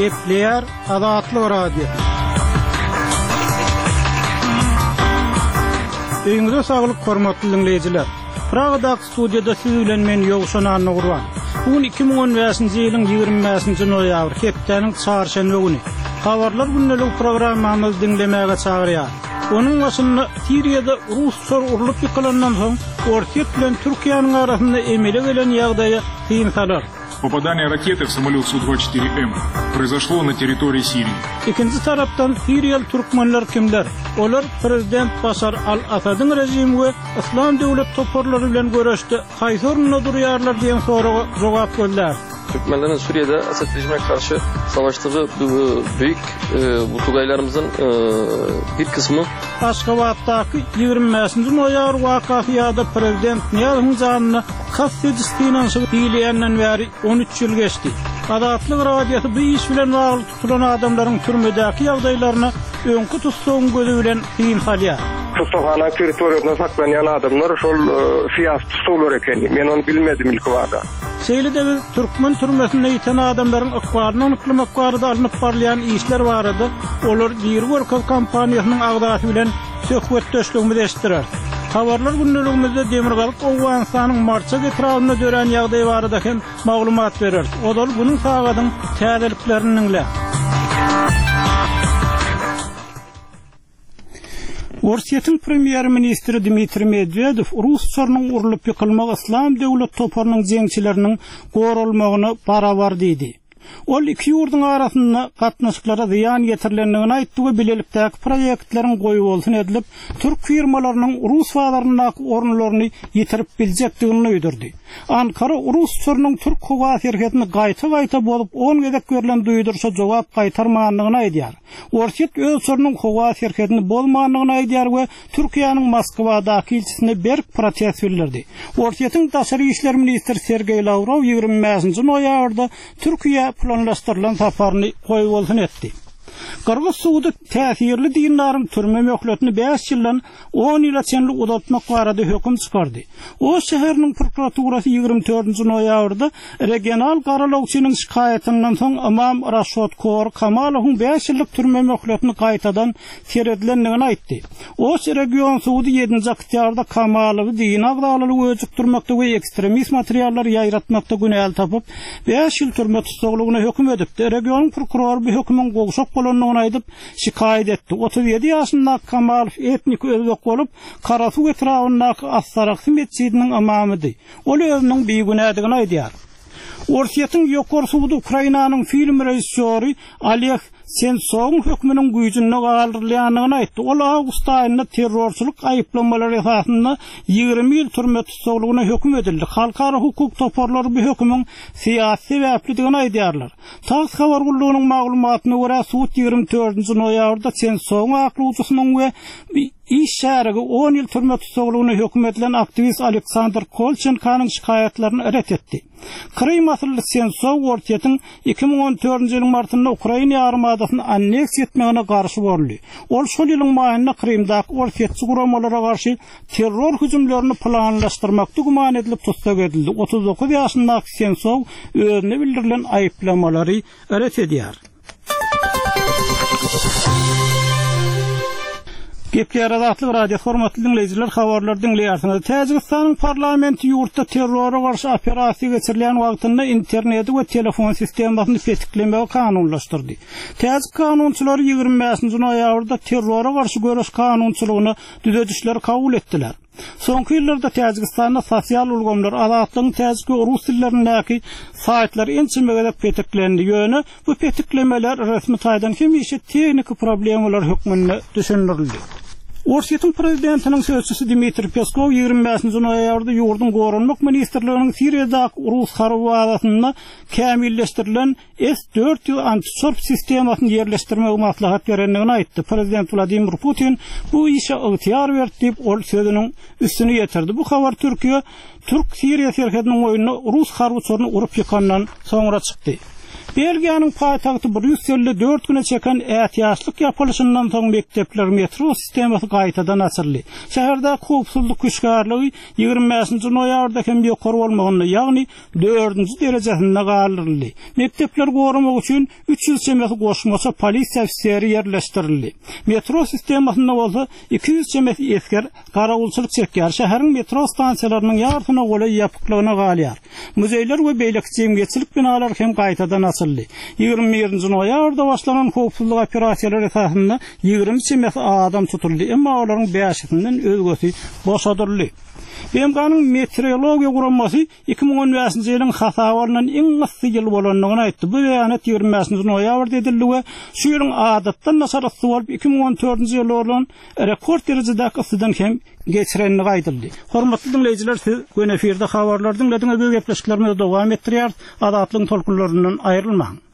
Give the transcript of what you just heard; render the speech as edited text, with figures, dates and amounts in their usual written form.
Gepleýär Azatlyk Radiosy. Öýüňize saglyk hormatly diňleýjiler. Pragadaky studiýada siz bilen men Ýowşan Annagurban. Bu gün 2015-nji ýylyň 25-nji noýabry, hepdäniň çarşenbe güni. Habarlar gündeligi programmamyzy diňlemäge çagyrýar. Onuň başynda Siriýada rus uçary urlup ýykylandan soň Orsýet bilen Türkiýäniň arasynda emele gelen ýagdaýa syn salar. Popadaniýe rakety w samolýot Su-24M proizoşlo na territoriýi Siriýi. Ikinji tarapdan siriýaly türkmenler kimler? Olar prezident Başar al-Asadyň režimi we Yslam döwlet toparlary bilen göreşde haýsy orunda durýarlar diýen soraga jogap gözläris. Türkmenleriň Suriýede Esed režime garşy savaşdygy büyük bu tugaýlarymyzyň bir kysmy. Aşgabatdaky 25-nji noýabr wakasy ýa-da prezident Nyýazowyň janyna kast ediş synanyşygy diýilýänden bäri 13 ýyl geçdi. Azatlyk Radiosy bu iş bilen bagly tutulan adamlaryň türmedäki ýagdaýlaryna öňki tussagyň gözi bilen syn salýar. Tussaghana territoriýasynda saklanýan adamlar şol syýasy tussaglar ekeni. Men ony bilmedim ilkibada. Şeýle-de biz türkmen türmesinde ýiten adamlaryň ykbalyny anyklamak barada alnyp barylýan işler barada Olar diri görkez kampaniýasynyň agzasy bilen söhbetdeşligimizi eşitdireris. Habarlar gündeligimizde Demirgazyk Owganystanyň Marçak etrabynda dörän ýagdaý barada hem maglumat bereris. Ozal günüň sagadyň täzeliklerini diňläň. Orsýetiň premýer-ministri Dmitriý Medwedew rus uçarynyň urlup ýykylmagy Yslam döwlet toparynyň jeňçileriniň goralmagyna barabar diýdi. Ol iki ýurduň arasynda gatnaşyklara zyýan ýetirilendigini aýtdy we bilelikdäki proýektleriň goýbolsun edilip, türk firmalarynyň rus bazaryndaky orunlaryny ýitirip biljekdigini duýdurdy. Ankara rus uçarynyň türk howa serhedini gaýta-gaýta bozup on gezek berlen duýduryşa jogap gaýtarmandygyny aýdýar. Orsýet öz uçarynyň howa serhedini bozmandygyny aýdýar we Türkiýäniň Moskwadaky ilçisine berk protest bildirdi. Orsýetiň daşary işler ministri Sergeý Lawrow 25-nji noýabrda Türkiýä planlaşdyrylan saparyny goýbolsun etdi. Gyrgyz sudy täsirli dindaryň türme möhletini bäş ýyldan on ýyla çenli uzaltmak barada höküm çykardy. Oş şäheriniň prokuraturasy 24-nji noýabrda regional garalawçynyň şikaýatyndan soň ymam Raşot Kor Kamalowyň bäş ýyllyk türme möhletini gaýtadan seredilendigini aýtdy. Oş region sudy ýedinji oktýabrda Kamalowy dini agzalalygy öjükdirmekde we ekstremist materiallary ýaýratmakda günäli tapyp, bäş ýyl türme tussaglygyna höküm edipdi. Regionyň prokurory bu hökümiň gowşak bolandygyny aýdyp, şikaýat etdi. 37 ýaşyndaky Kamalow etniki özbek bolup, Karasuw etrabyndaky As-Saraksy metjidiniň ymamydy. Ol özüniň bigünädigini aýdýar. Orsýetiň Ýokary sudy Ukrainanyň film režissýory Oleg Sentsowyň hökmüniň güýjünde galdyrylýandygyny aýtdy. Ol awgust aýynda terrorçylyk aýyplamalary esasynda 20 ýyl türme tussaglygyna höküm edildi. Halkara hukuk toparlary bu hökümiň syýasy sebäplidigini aýdýarlar. Tass habar gullugynyň maglumatyna görä, sud 24-nji noýabrda Sentsowyň aklawçysynyň we iş şärigi on ýyl türme tussaglygyna höküm edilen aktiwist Aleksandr Kolçenkonyň şikaýatlaryny ret etdi. Krym asylly Sentsow Orsýetiň 2014-nji ýylyň martynda Ukraina ýarymadasyny anneksiýa etmegine garşy boldy. Ol şol ýylyň maýynda Krymdaky orsýetçi guramalara garşy terror hüjümlerini planlaşdyrmakda güman edilip tussag edildi. 39 ýaşyndaky Sentsow özüne bildirilen aýyplamalary ret edýär. Gepleýär Azatlyk Radiosy hormatly diňleýjiler habarlary diňleýärsiňiz. Täjigistanyň parlamenti ýurtda terrora garşy operasiýa geçirilýän wagtynda interneti we telefon sistemasyny petiklemegi kanunlaşdyrdy. Täjik kanunçylary 25-nji noýabrda terrora garşy göreş kanunçylygyna düzedişleri kabul etdiler. Soňky ýyllarda Täjigistanda sosial ulgamlar, Azatlygyň täjik we rus dillerindäki saýtlary ençeme gezek petiklendi. Ýöne bu petiklemeler resmi taýdan hemişe tehniki problemalar hökmünde düşündirildi. Orsýetiň prezidentiniň sözçüsi Dmitriý Peskow 25-nji noýabrda ýurduň Goranmak ministrliginiň Siriýadaky rus harby bazasynda kämilleşdirilen S 400 antiçorp sistemasyny ýerleşdirmegi maslahat berendigini aýtdy. Prezident Wladimir Putin bu işe ygtyýar berdi diýip, ol sözüniň üstüni ýetirdi. Bu habar Türkiýe türk-siriýa serhediniň boýunda rus harby uçaryny urup ýykandan soňra çykdy. Belgiýanyň paýtagty Brýusselde dört güne çeken ätiýaçlyk ýapylyşyndan soň mekdepler, metro sistemasy gaýtadan açyldy. Şäherdäki howpsuzlyk hüşgärligi 25-nji noýabrda hem ýokary bolmagynda, ýagny dördünji derejesinde galdyryldy. Mekdepleri goramak üçin 300 çemesi goşmaça polisiýa ofiseri ýerleşdirildi. Metro sistemasynda bolsa 200 çemesi esger garawulçylyk çekýär. Şäheriň metro stansiýalarynyň ýarysyna golaý ýapyklygyna galýar. Muzeýler we beýleki jemgyýetçilik binalary hem gaýtadan açyldy. 21-nji noýabrda başlanan howpsuzlyk operasiýalary esasynda 20 çemesi adam tutuldy, emma olaryň bäşisinden özgesi boşadyldy. BMG-niň Meteorologiýa guramasy 2015-nji ýylyň hasaba alnan iň yssy ýyl bolandygyny aýtdy. Bu beýanat 25-nji noýabrda edildi we şu ýylyň adatdan daşary yssy bolup, 2014-nji ýylda bolan rekord derejedäki yssydan hem geçirendigi aýdyldy. Hormatly diňleýjiler, siz göni efirde habarlary diňlediňiz, biz gepleşiklerimizi dowam etdirýäris. Azatlygyň tolkunlaryndan aýrylmaň!